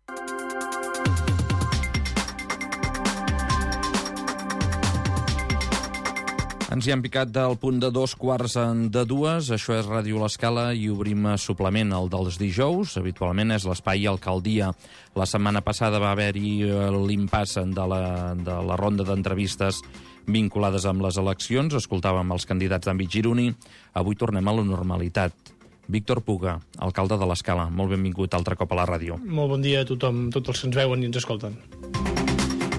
Ens hi hem picat del punt de 2:15. Això és Ràdio L'Escala i obrim suplement, el dels dijous. Habitualment és l'espai Alcaldia. La setmana passada va haver-hi l'impàs de la ronda d'entrevistes vinculades amb les eleccions. Escoltàvem els candidats d'àmbit gironí. Avui tornem a la normalitat. Víctor Puga, alcalde de l'Escala. Molt benvingut altre cop a la ràdio. Molt bon dia a tothom, tots els que ens veuen i ens escolten.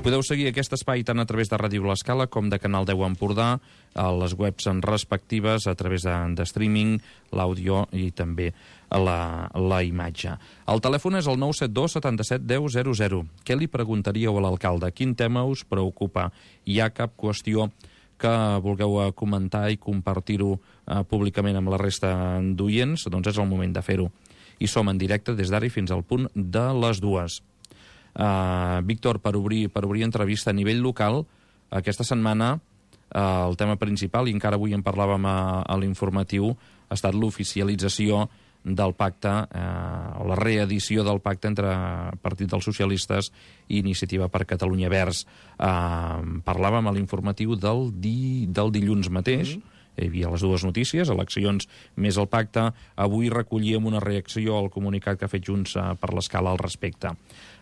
Podeu seguir aquest espai tant a través de Ràdio L'Escala com de Canal 10 Empordà, a les webs respectives, a través de streaming, l'àudio i també la imatge. El telèfon és el 972 77 10 00. Què li preguntaríeu a l'alcalde? Quin tema us preocupa? Hi ha cap qüestió que vulgueu comentar i compartir-ho públicament amb la resta d'oients? Doncs és el moment de fer-ho. I som en directe des d'ara i fins al punt de les 2. Víctor, per obrir entrevista a nivell local, aquesta setmana el tema principal, i encara avui en parlàvem a l'informatiu, ha estat l'oficialització del pacte, o la reedició del pacte entre Partit dels Socialistes i Iniciativa per Catalunya Verds. Parlàvem a l'informatiu del dilluns mateix. Hi havia les dues notícies, eleccions més el pacte. Avui recollíem una reacció al comunicat que ha fet Junts per l'Escala al respecte.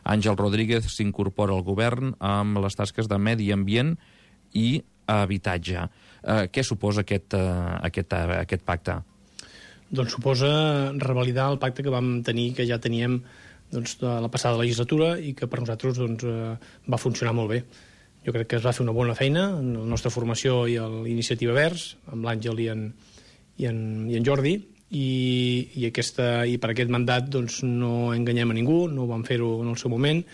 Àngel Rodríguez s'incorpora al govern amb les tasques de medi ambient i habitatge. Què suposa aquest pacte? Doncs suposa revalidar el pacte que vam tenir, que ja teníem de la passada legislatura i que per nosaltres va funcionar molt bé. Jo crec que es va fer una bona feina en la nostra formació i a l'Iniciativa Verds, amb l'Àngel i en Jordi, i per aquest mandat no enganyem a ningú, no ho vam fer-ho en el seu moment.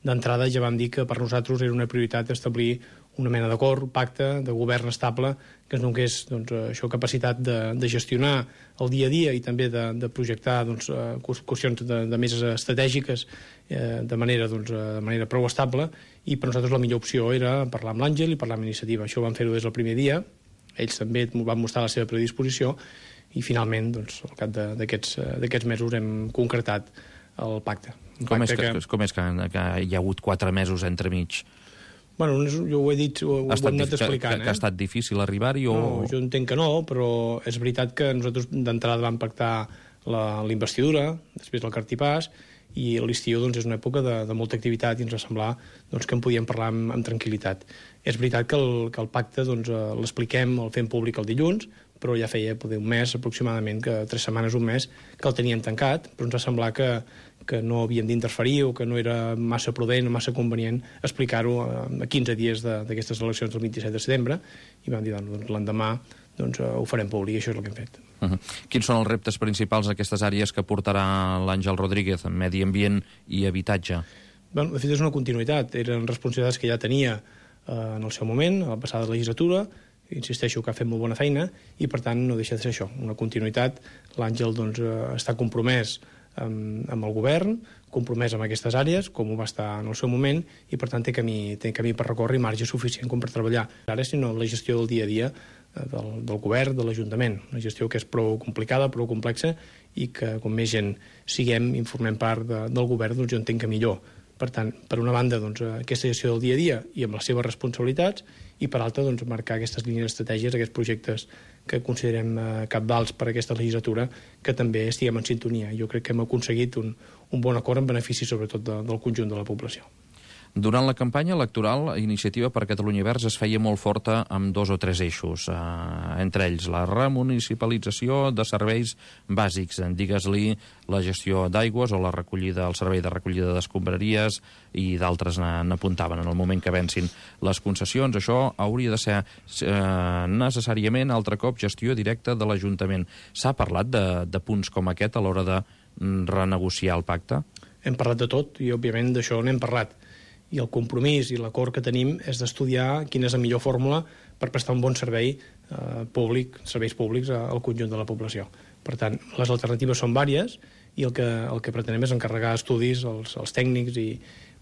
D'entrada ja vam dir que per nosaltres era una prioritat establir una mena d'acord, pacte, de govern estable, que ens donés això, capacitat de gestionar el dia a dia i també de projectar qüestions de més estratègiques de manera prou estable, i per nosaltres la millor opció era parlar amb l'Àngel i parlar amb Iniciativa. Això ho vam fer-ho des del primer dia, ells també van mostrar la seva predisposició, i finalment, al cap d'aquests mesos hem concretat el pacte. Com és que hi ha hagut 4 mesos entremig? Bueno, jo ho he dit, ho hem anat explicant. Que ha estat difícil arribar-hi? No, jo entenc que no, però és veritat que nosaltres d'entrada vam pactar la investidura, després el cartipàs, i l'estiu és una època de molta activitat i ens va semblar que en podíem parlar amb tranquil·litat. És veritat que el pacte l'expliquem, el fem públic el dilluns, però ja feia un mes aproximadament, 3 setmanes, un mes, que el teníem tancat, però ens va semblar que no havíem d'interferir o que no era massa prudent o massa convenient explicar-ho a 15 dies d'aquestes eleccions del 27 de setembre, i vam dir, l'endemà ho farem públic, i això és el que hem fet. Quins són els reptes principals d'aquestes àrees que portarà l'Àngel Rodríguez, en medi ambient i habitatge? De fet, és una continuïtat. Eren responsabilitats que ja tenia en el seu moment, a la passada legislatura. Insisteixo que ha fet molt bona feina i, per tant, no deixa de ser això, una continuïtat. L'Àngel està compromès amb el govern, compromès amb aquestes àrees, com ho va estar en el seu moment, i per tant té camí per recórrer i marge suficient com per treballar. Ara, sinó la gestió del dia a dia del govern, de l'Ajuntament, una gestió que és prou complicada, prou complexa, i que com més gent siguem i formem part del govern, jo entenc que millor. Per tant, per una banda, aquesta gestió del dia a dia i amb les seves responsabilitats, i per altra, marcar aquestes línies estratègies, aquests projectes que considerem cabdals per a aquesta legislatura, que també estiguem en sintonia. Jo crec que hem aconseguit un bon acord en benefici, sobretot, del conjunt de la població. Durant la campanya electoral, Iniciativa per Catalunya Verds es feia molt forta amb 2 o 3 eixos, entre ells la remunicipalització de serveis bàsics, digues-li la gestió d'aigües o el servei de recollida d'escombraries, i d'altres n'apuntaven en el moment que vencin les concessions. Això hauria de ser necessàriament altre cop gestió directa de l'Ajuntament. S'ha parlat de punts com aquest a l'hora de renegociar el pacte? Hem parlat de tot i, òbviament, d'això n'hem parlat. I el compromís i l'acord que tenim és d'estudiar quina és la millor fórmula per prestar un bon servei públic, serveis públics al conjunt de la població. Per tant, les alternatives són vàries i el que pretenem és encarregar estudis als tècnics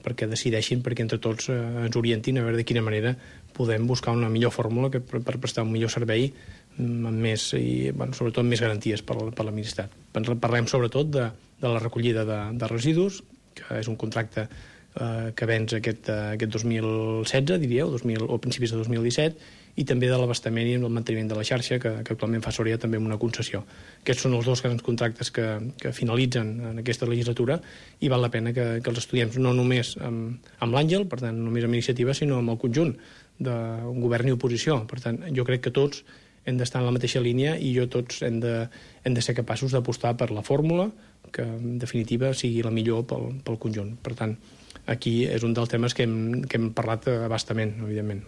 perquè decideixin, perquè entre tots ens orientin a veure de quina manera podem buscar una millor fórmula per prestar un millor servei amb més, i sobretot amb més garanties per l'administrat. Parlem sobretot de la recollida de residus, que és un contracte que venç aquest 2016, diríeu, o principis de 2017, i també de l'abastament i el manteniment de la xarxa, que actualment fa Soria també amb una concessió. Aquests són els dos grans contractes que finalitzen en aquesta legislatura i val la pena que els estudiem no només amb l'Àngel, per tant, només amb iniciativa, sinó amb el conjunt d'un govern i oposició. Per tant, jo crec que tots hem d'estar en la mateixa línia i tots hem de ser capaços d'apostar per la fórmula que, en definitiva, sigui la millor pel conjunt. Per tant, aquí és un dels temes que hem parlat abastament, evidentment.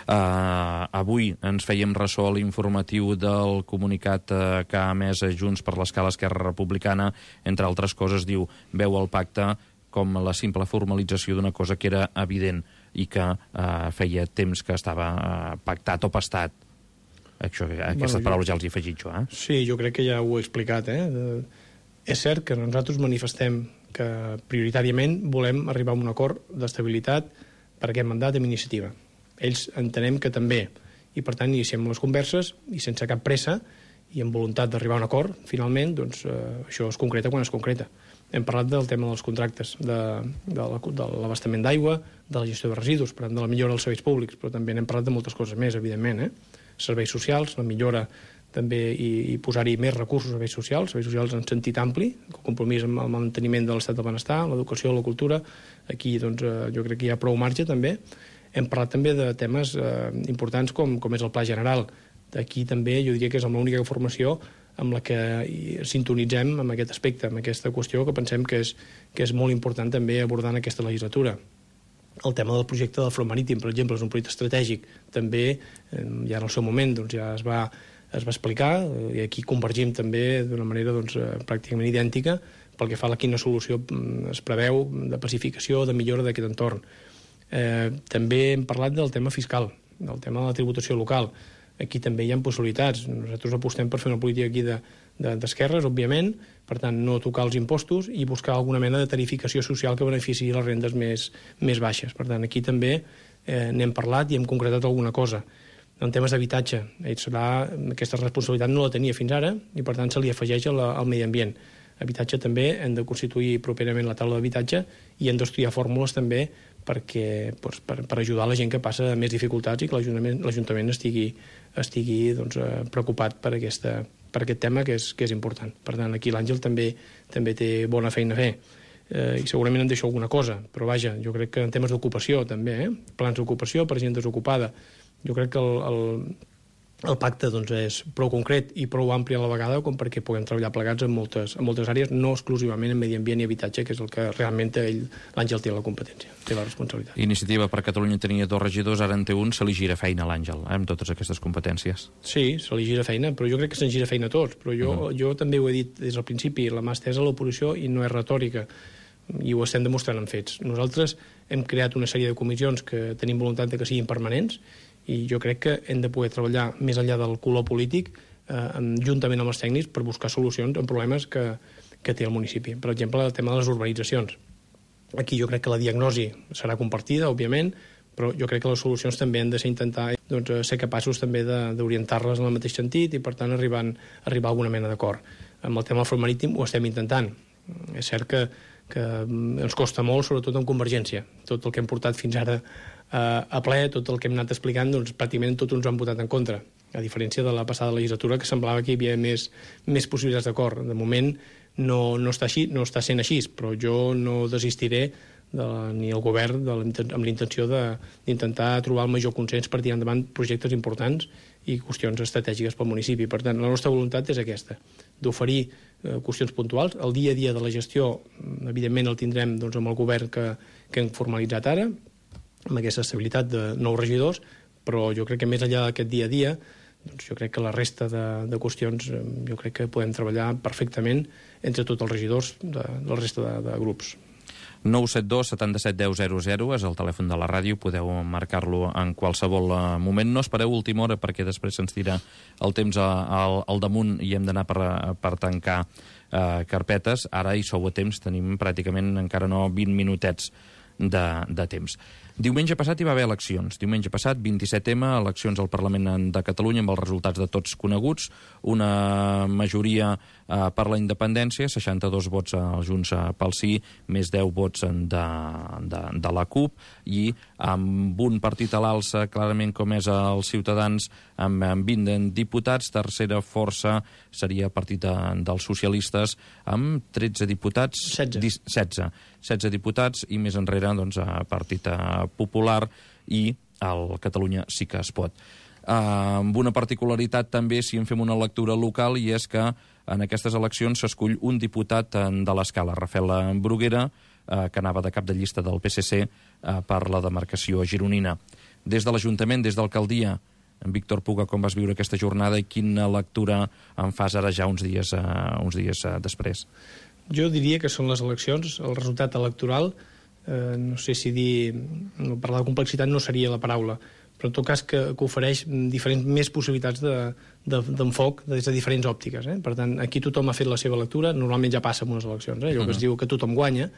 Avui ens fèiem ressò a l'informatiu del comunicat que ha emès Junts per l'Escala Esquerra Republicana. Entre altres coses, diu, veu el pacte com la simple formalització d'una cosa que era evident i que feia temps que estava pactat o pastat. Aquestes paraules ja els he afegit jo. Sí, jo crec que ja ho he explicat. És cert que nosaltres manifestem que prioritàriament volem arribar a un acord d'estabilitat per aquest mandat amb iniciativa. Ells entenem que també, i per tant iniciem les converses i sense cap pressa i amb voluntat d'arribar a un acord, finalment, doncs això es concreta quan es concreta. Hem parlat del tema dels contractes, de l'abastament d'aigua, de la gestió de residus, per tant, de la millora dels serveis públics, però també n'hem parlat de moltes coses més, evidentment. Serveis socials, la millora també i posar-hi més recursos a serveis socials en sentit ampli, el compromís amb el manteniment de l'estat del benestar, l'educació, la cultura. Aquí doncs, jo crec que hi ha prou marge també. Hem parlat també de temes importants com és el Pla General. Aquí també jo diria que és l'única formació amb la que sintonitzem amb aquest aspecte, amb aquesta qüestió que pensem que és molt important també abordar en aquesta legislatura. El tema del projecte del front marítim, per exemple, és un projecte estratègic. També, ja en el seu moment, doncs, ja es va explicar, i aquí convergim també d'una manera pràcticament idèntica pel que fa a quina solució es preveu de pacificació, de millora d'aquest entorn. També hem parlat del tema fiscal, del tema de la tributació local. Aquí també hi ha possibilitats. Nosaltres apostem per fer una política aquí d'esquerres, òbviament, per tant, no tocar els impostos i buscar alguna mena de tarificació social que beneficiï les rendes més baixes. Per tant, aquí també n'hem parlat i hem concretat alguna cosa. En temes d'habitatge, aquesta responsabilitat no la tenia fins ara i, per tant, se li afegeix al medi ambient. Habitatge també hem de constituir properament la taula d'habitatge i hem d'estudiar fórmules també per ajudar la gent que passa més dificultats i que l'Ajuntament estigui preocupat per aquest tema que és important. Per tant, aquí l'Àngel també té bona feina a fer. I segurament em deixo alguna cosa, però vaja, jo crec que en temes d'ocupació també, plans d'ocupació per gent desocupada, jo crec que el pacte és prou concret i prou ampli a la vegada com perquè puguem treballar plegats en moltes àrees, no exclusivament en medi ambient i habitatge, que és el que realment l'Àngel té la competència, té la responsabilitat. Iniciativa per Catalunya tenia 2 regidors, ara en té un, se li gira feina a l'Àngel, amb totes aquestes competències. Sí, se li gira feina, però jo crec que se'n gira feina a tots. Però jo també ho he dit des del principi, la mà estesa a l'oposició i no és retòrica, i ho estem demostrant en fets. Nosaltres hem creat una sèrie de comissions que tenim voluntat de que siguin permanents, i jo crec que hem de poder treballar més enllà del color polític juntament amb els tècnics per buscar solucions en problemes que té el municipi. Per exemple, el tema de les urbanitzacions. Aquí jo crec que la diagnosi serà compartida, òbviament, però jo crec que les solucions també han de ser intentar ser capaços també d'orientar-les en el mateix sentit i, per tant, arribar a alguna mena d'acord. Amb el tema del front marítim ho estem intentant. És cert que ens costa molt, sobretot en Convergència. Tot el que hem portat fins ara a ple, tot el que hem anat explicant, pràcticament tots ens han votat en contra, a diferència de la passada legislatura, que semblava que hi havia més possibilitats d'acord. De moment no està sent així, però jo no desistiré ni el govern amb l'intenció d'intentar trobar el major consens per tirar endavant projectes importants i qüestions estratègiques pel municipi. Per tant, la nostra voluntat és aquesta, d'oferir qüestions puntuals. El dia a dia de la gestió, evidentment, el tindrem amb el govern que hem formalitzat ara, amb aquesta estabilitat de 9 regidors, però jo crec que més enllà d'aquest dia a dia, jo crec que la resta de qüestions jo crec que podem treballar perfectament entre tots els regidors de la resta de grups. 972 77 10 00 és el telèfon de la ràdio, podeu marcar-lo en qualsevol moment. No espereu última hora perquè després se'ns tira el temps al damunt i hem d'anar per tancar carpetes. Ara hi sou a temps, tenim pràcticament encara no 20 minutets de temps. Diumenge passat hi va haver eleccions. Diumenge passat, 27M, eleccions al Parlament de Catalunya amb els resultats de tots coneguts. Una majoria per la independència, 62 vots als Junts pel Sí, més 10 vots de la CUP, i amb un partit a l'alça, clarament com és els Ciutadans, amb 20 diputats. Tercera força seria el partit dels socialistes, amb 13 diputats... 16 diputats, i més enrere, doncs, Partit Popular i el Catalunya Sí que es pot. Amb una particularitat també, si en fem una lectura local, i és que en aquestes eleccions s'escull un diputat de l'Escala, Rafael Bruguera, que anava de cap de llista del PSC per la demarcació gironina. Des de l'Ajuntament, des d'alcaldia, en Víctor Puga, com vas viure aquesta jornada i quina lectura en fas ara ja uns dies després? Jo diria que són les eleccions, el resultat electoral, no sé si dir, parlar de complexitat no seria la paraula, però en tot cas que ofereix més possibilitats d'enfoc des de diferents òptiques. Per tant, aquí tothom ha fet la seva lectura, normalment ja passa en unes eleccions, allò que es diu que tothom guanya.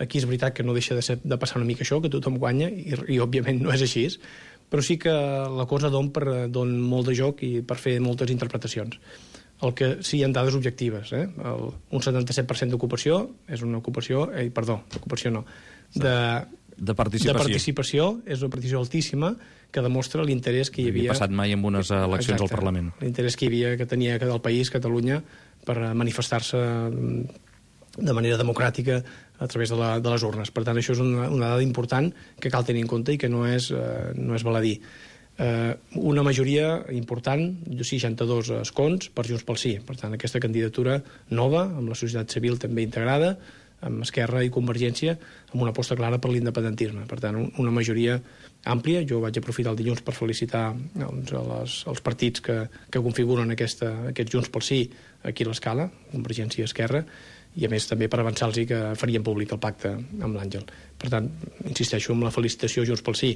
Aquí és veritat que no deixa de passar una mica això, que tothom guanya, i òbviament no és així, però sí que la cosa don molt de joc i per fer moltes interpretacions. El que sí hi ha dades objectives. Un 77% d'ocupació és una ocupació... d'ocupació no. De participació, és una participació altíssima que demostra l'interès que hi havia... No havia passat mai en unes eleccions al Parlament. L'interès que hi havia, que tenia el país, Catalunya, per manifestar-se de manera democràtica a través de les urnes. Per tant, això és una dada important que cal tenir en compte i que no és baladí. Una majoria important, 62 escons per Junts pel Sí. Per tant, aquesta candidatura nova, amb la societat civil també integrada, amb Esquerra i Convergència, amb una aposta clara per l'independentisme. Per tant, una majoria àmplia. Jo vaig aprofitar el dilluns per felicitar els partits que configuren aquest Junts pel Sí aquí a l'Escala, Convergència i Esquerra, i a més també per avançar-los que farien públic el pacte amb l'Àngel. Per tant, insisteixo en la felicitació a Junts pel Sí.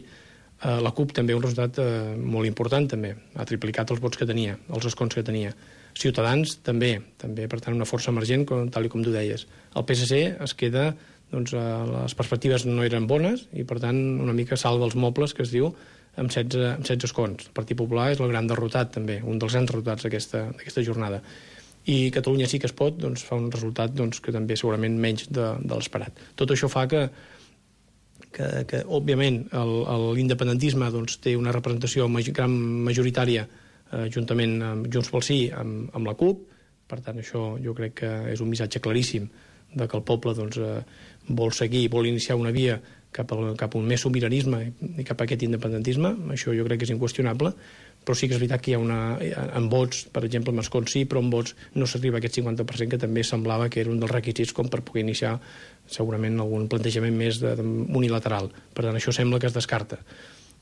La CUP també un resultat molt important, també. Ha triplicat els vots que tenia, els escons que tenia. Ciutadans també, per tant, una força emergent, tal com tu deies. El PSC es queda, doncs, les perspectives no eren bones i, per tant, una mica salva els mobles, que es diu, amb 16 escons. El Partit Popular és el gran derrotat, també, un dels grans derrotats d'aquesta jornada. I Catalunya Sí que es pot, doncs, fa un resultat que també segurament menys de l'esperat. Tot això fa que òbviament, l'independentisme té una representació gran majoritària juntament amb Junts pel Sí, amb la CUP. Per tant, això jo crec que és un missatge claríssim de que el poble vol seguir, vol iniciar una via cap a un més sobiranisme i cap a aquest independentisme. Això jo crec que és inqüestionable, però sí que és veritat que hi ha en vots, per exemple, amb escons sí, però en vots no s'arriba a aquest 50% que també semblava que era un dels requisits com per poder iniciar segurament algun plantejament més unilateral. Per tant, això sembla que es descarta.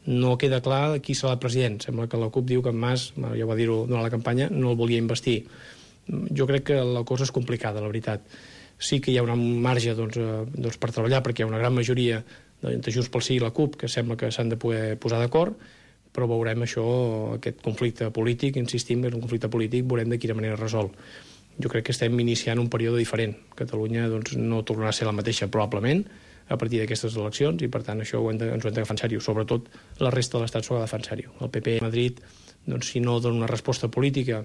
No queda clar qui serà el president. Sembla que la CUP diu que en Mas, ja va dir-ho durant la campanya, no el volia investir. Jo crec que la cosa és complicada, la veritat. Sí que hi ha un marge per treballar, perquè hi ha una gran majoria entre Junts pel Sí i la CUP que sembla que s'han de poder posar d'acord, però veurem aquest conflicte polític, insistim que és un conflicte polític, veurem de quina manera es resol. Jo crec que estem iniciant un període diferent. Catalunya no tornarà a ser la mateixa, probablement, a partir d'aquestes eleccions, i per tant això ens ho hem d'agafar en sèrio. Sobretot la resta de l'Estat s'ho ha d'agafar en sèrio. El PP a Madrid, si no dona una resposta política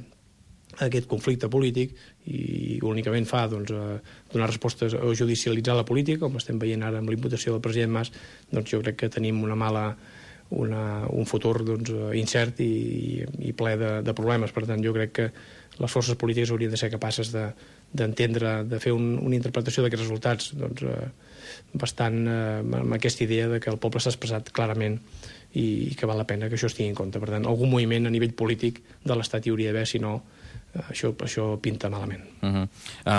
a aquest conflicte polític i únicament fa donar respostes o judicialitzar la política, com estem veient ara amb l'imputació del president Mas, jo crec que tenim un futur incert i ple de problemes. Per tant, jo crec que les forces polítiques haurien de ser capaces d'entendre, de fer una interpretació d'aquests resultats bastant amb aquesta idea de que el poble s'ha expressat clarament i que val la pena que això es tingui en compte. Per tant, algun moviment a nivell polític de l'Estat hi hauria d'haver, si no, això pinta malament.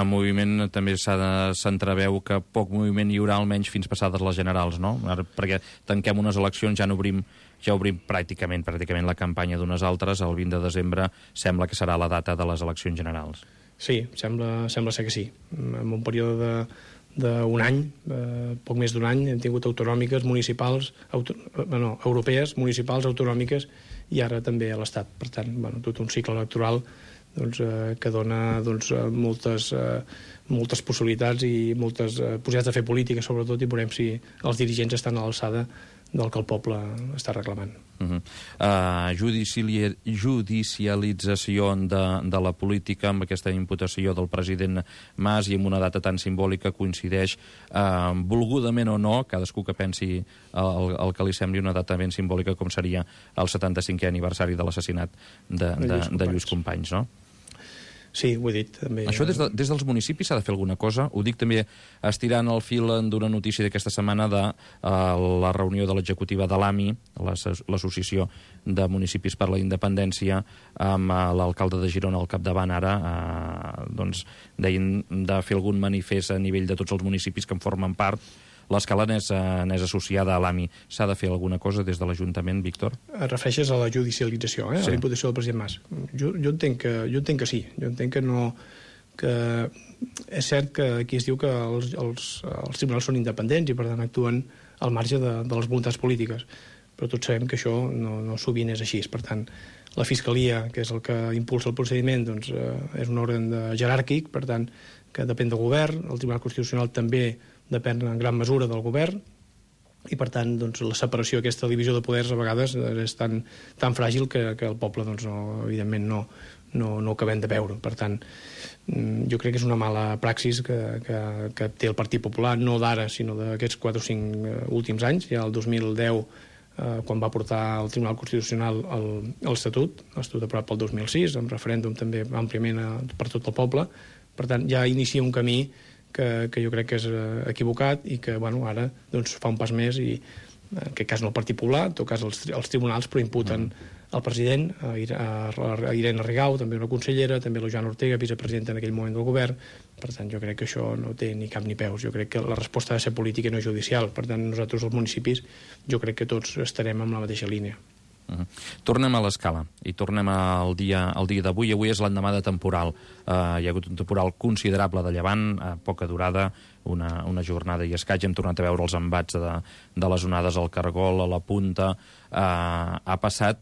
Moviment també s'entreveu que poc moviment hi haurà almenys fins passades les generals, no? Ara, perquè tanquem unes eleccions, ja obrim pràcticament la campanya d'unes altres. El 20 de desembre sembla que serà la data de les eleccions generals. Sí, sembla ser que sí. En un període d'un any, poc més d'un any, hem tingut autonòmiques, municipals, europees, municipals, autonòmiques i ara també a l'Estat. Per tant, tot un cicle electoral que dona moltes possibilitats i moltes possibilitats de fer política, sobretot, i veurem si els dirigents estan a l'alçada del que el poble està reclamant. Judicialització de la política amb aquesta imputació del president Mas i amb una data tan simbòlica coincideix, volgudament o no, cadascú que pensi el que li sembli, una data ben simbòlica com seria el 75è aniversari de l'assassinat de Lluís Companys, no? Sí, ho he dit també. Això des dels municipis s'ha de fer alguna cosa? Ho dic també estirant el fil d'una notícia d'aquesta setmana de la reunió de l'executiva de l'AMI, l'Associació de Municipis per la Independència, amb l'alcalde de Girona al capdavant ara, doncs deien de fer algun manifest a nivell de tots els municipis que en formen part. L'Escala n'és associada a l'AMI. S'ha de fer alguna cosa des de l'Ajuntament, Víctor? Et refereixes a la judicialització, sí. A la imputació del president Mas. Jo entenc que sí. Jo entenc que no... És cert que aquí es diu que els tribunals són independents i per tant actuen al marge de les voluntats polítiques. Però tots sabem que això no sovint és així. Per tant, la Fiscalia, que és el que impulsa el procediment, doncs, és un òrgan jeràrquic, per tant, que depèn del govern. El Tribunal Constitucional també depèn en gran mesura del govern i, per tant, doncs, la separació, aquesta divisió de poders a vegades és tan fràgil que el poble, doncs, evidentment, no ho acabem de veure. Per tant, jo crec que és una mala praxis que té el Partit Popular, no d'ara, sinó d'aquests 4 o 5 últims anys. Ja el 2010, quan va portar el Tribunal Constitucional l'Estatut aprovat pel 2006, amb referèndum també àmpliament per tot el poble. Per tant, ja inicia un camí que jo crec que és equivocat i que ara doncs, fa un pas més i en aquest cas no el Partit Popular, en tot cas els tribunals, però imputen el president, a Irene Rigau, també una consellera, també la Joana Ortega, vicepresidenta en aquell moment del govern. Per tant, jo crec que això no té ni cap ni peus. Jo crec que la resposta ha de ser política i no judicial. Per tant, nosaltres, els municipis, jo crec que tots estarem en la mateixa línia. Tornem a l'Escala i tornem al dia d'avui. Avui és l'endemà de temporal. Hi ha hagut un temporal considerable de llevant, a poca durada, una jornada i escaig. Hem tornat a veure els embats de les onades al Cargol, a la Punta. Ha passat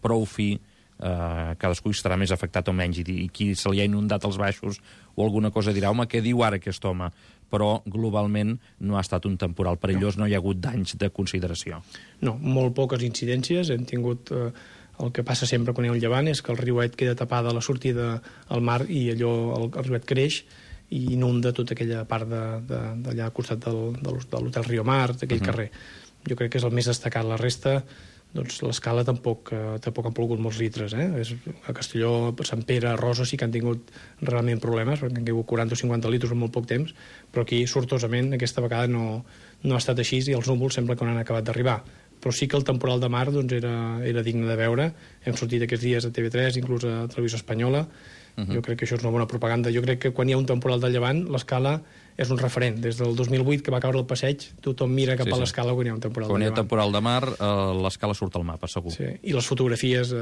prou fi, cadascú estarà més afectat o menys, i qui se li ha inundat els baixos o alguna cosa dirà, home, què diu ara aquest home? Però globalment no ha estat un temporal perillós, no hi ha hagut danys de consideració. No, molt poques incidències. Hem tingut el que passa sempre quan hi ha un llevant, és que el riuet queda tapada a la sortida al mar i allò, el riuet creix i inunda tota aquella part d'allà al costat de l'Hotel Rio Mar, d'aquell carrer. Jo crec que és el més destacat. La resta, doncs l'Escala tampoc han plogut molts litres. A Castelló, Sant Pere, Rosa sí que han tingut realment problemes, perquè han caigut 40 o 50 litres en molt poc temps, però aquí, sortosament, aquesta vegada no ha estat així i els núvols sembla que no han acabat d'arribar. Però sí que el temporal de mar doncs, era digne de veure. Hem sortit aquests dies a TV3, inclús a Televisió Espanyola. Jo crec que això és una bona propaganda. Jo crec que quan hi ha un temporal de llevant, l'Escala és un referent. Des del 2008, que va caure el passeig, tothom mira cap a l'Escala quan hi ha un temporal de llevant. Quan hi ha temporal de mar, l'Escala surt al mapa, segur. Sí. I les fotografies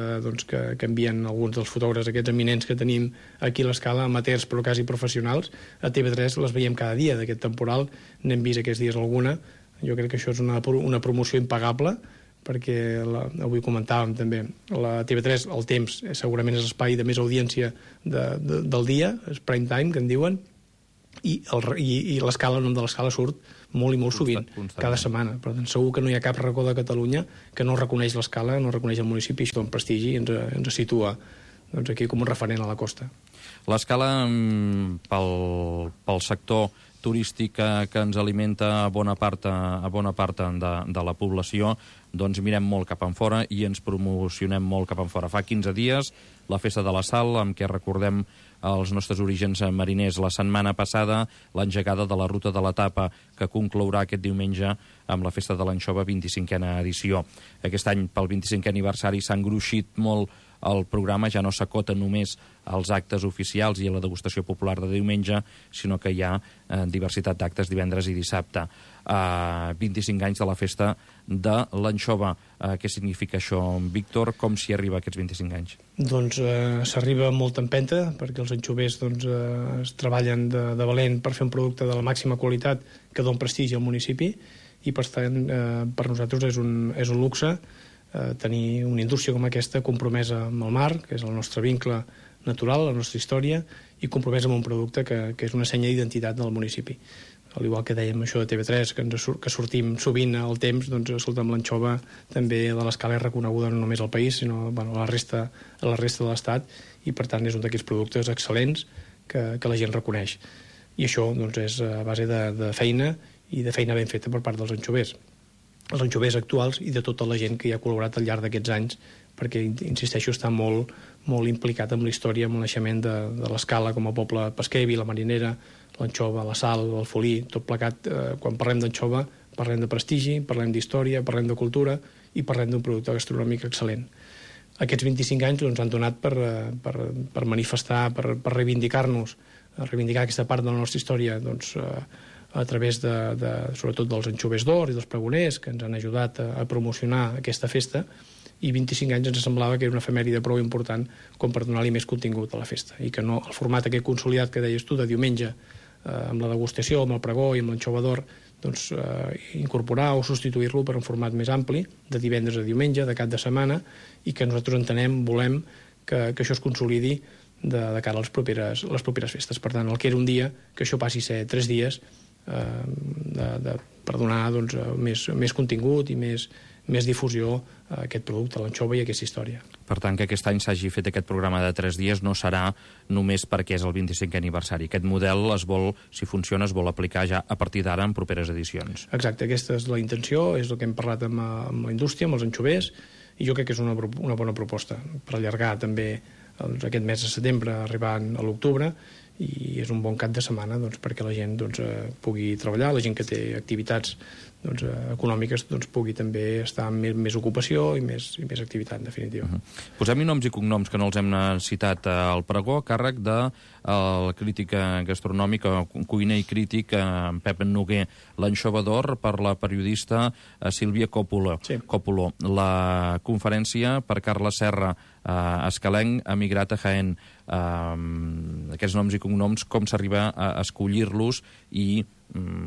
que envien alguns dels fotògrafs, aquests eminents que tenim aquí a l'Escala, amateurs però quasi professionals, a TV3 les veiem cada dia d'aquest temporal. N'hem vist aquests dies alguna. Jo crec que això és una promoció impagable, perquè avui comentàvem també, la TV3, el temps, segurament és l'espai de més audiència del dia, és prime time, que en diuen, i l'Escala, el nom de l'Escala surt molt i molt sovint, cada setmana. Per tant, segur que no hi ha cap racó de Catalunya que no reconeix l'Escala, no reconeix el municipi, això en prestigi i ens situa aquí com un referent a la costa. L'Escala, pel sector turístic que ens alimenta a bona part de la població, doncs mirem molt cap enfora i ens promocionem molt cap enfora. Fa 15 dies, la Festa de la Sal, amb què recordem els nostres orígens mariners. La setmana passada, l'engegada de la Ruta de la Tapa, que conclourà aquest diumenge amb la Festa de l'Anxova, 25a edició. Aquest any, pel 25è aniversari, s'ha engruixit molt el programa, ja no s'acota només als actes oficials i a la degustació popular de diumenge, sinó que hi ha diversitat d'actes divendres i dissabte. 25 anys de la Festa de l'Anxova. Què significa això, Víctor? Com s'hi arriba a aquests 25 anys? Doncs s'arriba amb molta empenta, perquè els anxovers es treballen de valent per fer un producte de la màxima qualitat que dona prestigi al municipi, i per tant per nosaltres és un luxe tenir una indústria com aquesta compromesa amb el mar, que és el nostre vincle natural, la nostra història, i compromesa amb un producte que és una senya d'identitat del municipi. al igual que dèiem això de TV3, que sortim sovint al temps, doncs escolta, amb l'anxova també de l'Escala és reconeguda no només al país, sinó a la resta de l'Estat, i per tant és un d'aquests productes excel·lents que la gent reconeix. I això doncs, és a base de feina i de feina ben feta per part dels anxovers. Els anxovers actuals i de tota la gent que hi ha col·laborat al llarg d'aquests anys, perquè, insisteixo, està molt implicat amb la història, amb el naixement de l'Escala com a poble pesquer, vila marinera, l'anxova, la sal, el folí, tot plegat. Quan parlem d'anxova parlem de prestigi, parlem d'història, parlem de cultura i parlem d'un producte gastronòmic excel·lent. Aquests 25 anys ens han donat per manifestar, per reivindicar-nos, reivindicar aquesta part de la nostra història, doncs, a través sobretot dels anxovers d'or i dels pregoners, que ens han ajudat a promocionar aquesta festa, i 25 anys ens semblava que era una efemèride prou important com per donar-li més contingut a la festa, i que no el format aquest consolidat que deies tu de diumenge, amb la degustació, amb el pregó i amb l'anxova d'or, doncs incorporar o substituir-lo per un format més ampli, de divendres a diumenge, de cap de setmana, i que nosaltres entenem, volem que això es consolidi de cara a les properes festes. Per tant, el que era un dia, que això passi a ser 3 dies, per donar doncs, més contingut i més difusió a aquest producte, a l'anxova i a aquesta història. Per tant, que aquest any s'hagi fet aquest programa de 3 dies no serà només perquè és el 25è aniversari. Aquest model, si funciona, es vol aplicar ja a partir d'ara en properes edicions. Exacte, aquesta és la intenció, és el que hem parlat amb la indústria, amb els anxovers, i jo crec que és una bona proposta per allargar també aquest mes de setembre, arribant a l'octubre, i és un bon cap de setmana doncs, perquè la gent pugui treballar, la gent que té activitats econòmiques pugui també estar amb més ocupació i més activitat, en definitiva. Posem-hi noms i cognoms que no els hem citat al pregó, a càrrec de el crític gastronòmic, cuiner i crític Pep Noguer, l'anxova d'or per la periodista Sílvia Còpolo. Sí. La conferència per Carles Serra, escalenc, emigrat a Jaén. Aquests noms i cognoms, com s'arriba a escollir-los i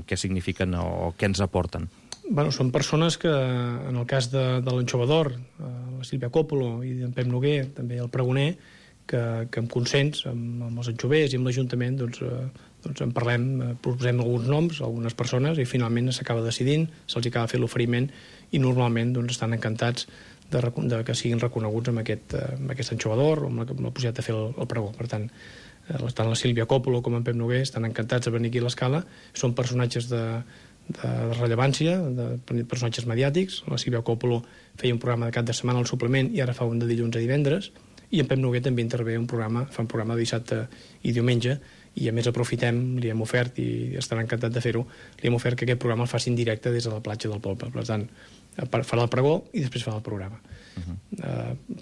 què signifiquen o què ens aporten? Bueno, són persones que, en el cas de l'anxova d'or, la Sílvia Còpolo i en Pep Noguer, també el pregoner, que amb consens amb els anxovers i amb l'Ajuntament en parlem, proposem alguns noms, algunes persones, i finalment s'acaba decidint, se'ls acaba fent l'oferiment i normalment estan encantats de que siguin reconeguts amb aquest anxova d'or o amb la possibilitat de fer el pregó. Per tant, tant la Sílvia Còpolo com en Pep Noguer estan encantats de venir aquí a l'Escala. Són personatges de rellevància, personatges mediàtics. La Sílvia Còpolo feia un programa de cap de setmana al suplement i ara fa un de dilluns a divendres, i en Pep Noguer també intervé fa un programa de dissabte i diumenge, i a més aprofitem, li hem ofert, i estarà encantat de fer-ho, li hem ofert que aquest programa el faci en directe des de la platja del poble. Per tant, farà el pregó i després farà el programa.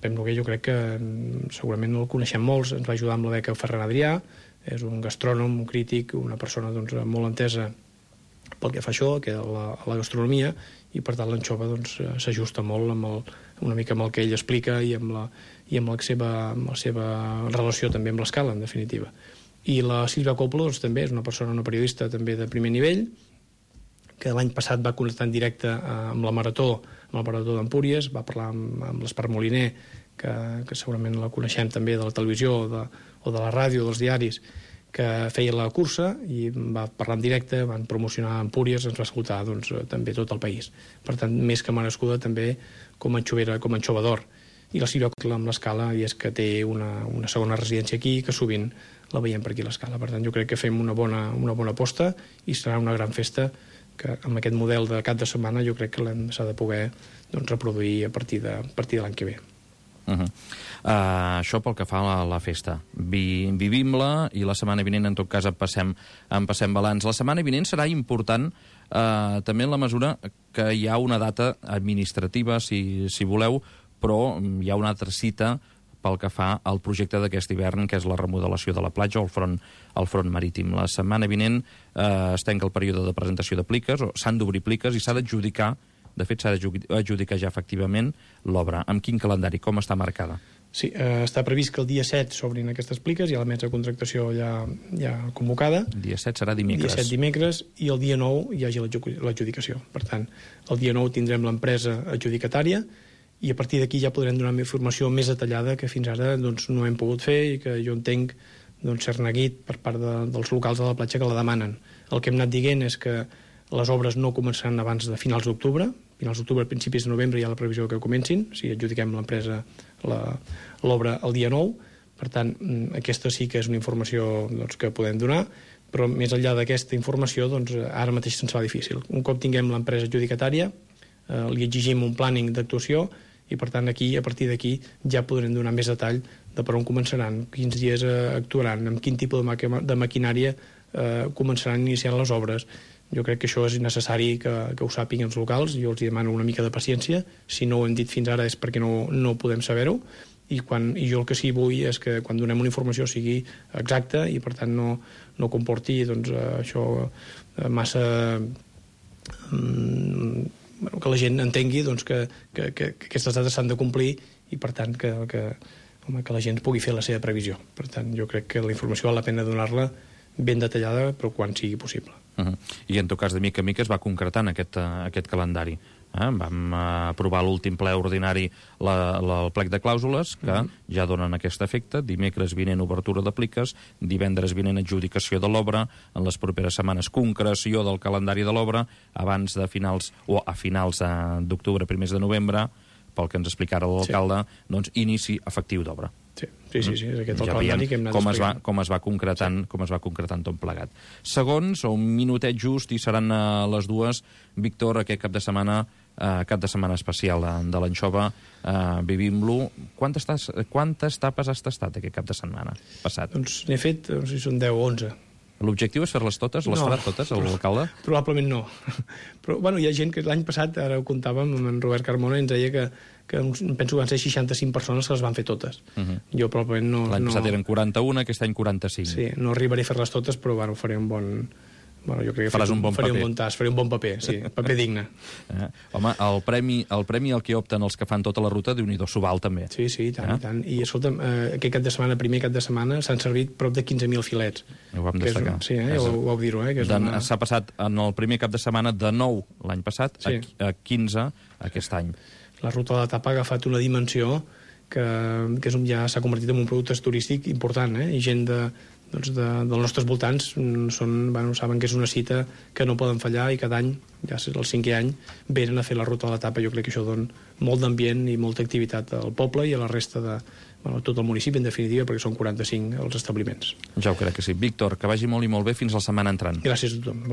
Pep Noguer jo crec que segurament no el coneixem molts, ens va ajudar amb la beca Ferran Adrià, és un gastrònom, un crític, una persona molt entesa pel que fa això, que a la gastronomia, i per tant l'anxova s'ajusta molt una mica amb el que ell explica i amb la seva relació també amb l'Escala, en definitiva. I la Sílvia Còpolo també és una persona, una periodista també de primer nivell, que l'any passat va connectar en directe amb la Marató d'Empúries, va parlar amb l'Espart Moliner, que segurament la coneixem també de la televisió o de la ràdio, dels diaris, que feia la cursa i va parlar en directe, van promocionar Empúries, ens va escoltar també tot el país. Per tant, més que merescuda també com a anxova d'or. I la Sílvia Còpolo amb l'Escala, i és que té una segona residència aquí, que sovint la veiem per aquí a l'Escala. Per tant, jo crec que fem una bona aposta i serà una gran festa que amb aquest model de cap de setmana jo crec que s'ha de poder reproduir a partir de l'any que ve. Això pel que fa a la festa. Vivim-la i la setmana vinent, en tot cas, en passem balanç. La setmana vinent serà important també en la mesura que hi ha una data administrativa, si voleu, però hi ha una altra cita pel que fa al projecte d'aquest hivern, que és la remodelació de la platja o el front marítim. La setmana vinent es tanca el període de presentació de pliques, o s'han d'obrir pliques i s'ha d'adjudicar, de fet s'ha d'adjudicar ja efectivament l'obra. Amb quin calendari? Com està marcada? Sí, està previst que el dia 7 s'obrin aquestes pliques, hi ha la mesa de contractació ja convocada. El dia 7 serà dimecres. El dia 7 dimecres, i el dia 9 hi hagi l'adjudicació. Per tant, el dia 9 tindrem l'empresa adjudicatària, i a partir d'aquí ja podrem donar informació més detallada que fins ara no hem pogut fer i que jo entenc ser neguit per part dels locals de la platja que la demanen. El que hem anat dient és que les obres no començaran abans de finals d'octubre, principis de novembre hi ha la previsió que comencin, si adjudiquem l'empresa l'obra el dia 9, per tant, aquesta sí que és una informació que podem donar, però més enllà d'aquesta informació, ara mateix se'ns fa difícil. Un cop tinguem l'empresa adjudicatària, li exigim un planning d'actuació i, per tant, a partir d'aquí ja podrem donar més detall de per on començaran, quins dies actuaran, amb quin tipus de maquinària començaran iniciant les obres. Jo crec que això és necessari que ho sàpiguen els locals. Jo els demano una mica de paciència. Si no ho hem dit fins ara és perquè no podem saber-ho. I jo el que sí vull és que quan donem una informació sigui exacta i, per tant, no comporti això massa... que la gent entengui que aquestes dades s'han de complir i, per tant, que la gent pugui fer la seva previsió. Per tant, jo crec que la informació val la pena donar-la ben detallada, però quan sigui possible. I en tot cas, de mica en mica es va concretant aquest calendari. Vam aprovar l'últim ple ordinari el plec de clàusules, que ja donen aquest efecte. Dimecres vinent obertura de pliques, divendres vinent adjudicació de l'obra, en les properes setmanes concreció del calendari de l'obra, abans de finals d'octubre, primers de novembre, pel que ens explicara l'alcalde, inici efectiu d'obra. Sí, és aquest el calendari que hem anat explicant. Com es va concretant tot plegat. Segons, o un minutet just, i seran a les 2, Víctor, aquest cap de setmana especial de l'anxova, vivim-lo. Quantes tapes has tastat aquest cap de setmana passat? Doncs n'he fet, no sé si són 10 o 11. L'objectiu és fer-les totes? Les farà totes, l'alcalde? Probablement no. Però, hi ha gent que l'any passat, ara ho contàvem amb en Robert Carmona, ens deia que penso que van ser 65 persones que les van fer totes. Jo probablement no... L'any passat eren 41, aquest any 45. Sí, no arribaré a fer-les totes, però faré un bon... jo crec que faré un bon tas, faré un bon paper, sí, paper digne. Home, el premi al que opten els que fan tota la ruta, Déu-n'hi-do, s'ho val també. Sí, i tant. I escolta'm, aquest cap de setmana, primer cap de setmana, s'han servit prop de 15.000 filets. Ho vam destacar. Sí, ho vau dir-ho. S'ha passat en el primer cap de setmana de 9 l'any passat a 15 aquest any. La ruta de la tapa ha agafat una dimensió que ja s'ha convertit en un producte turístic important, i gent dels nostres voltants saben que és una cita que no poden fallar i cada any, ja és el 5è any, venen a fer la ruta de la tapa. Jo crec que això dona molt d'ambient i molta activitat al poble i a la resta de tot el municipi, en definitiva, perquè són 45 els establiments. Ja ho crec que sí. Víctor, que vagi molt i molt bé fins la setmana entrant. Gràcies a tothom.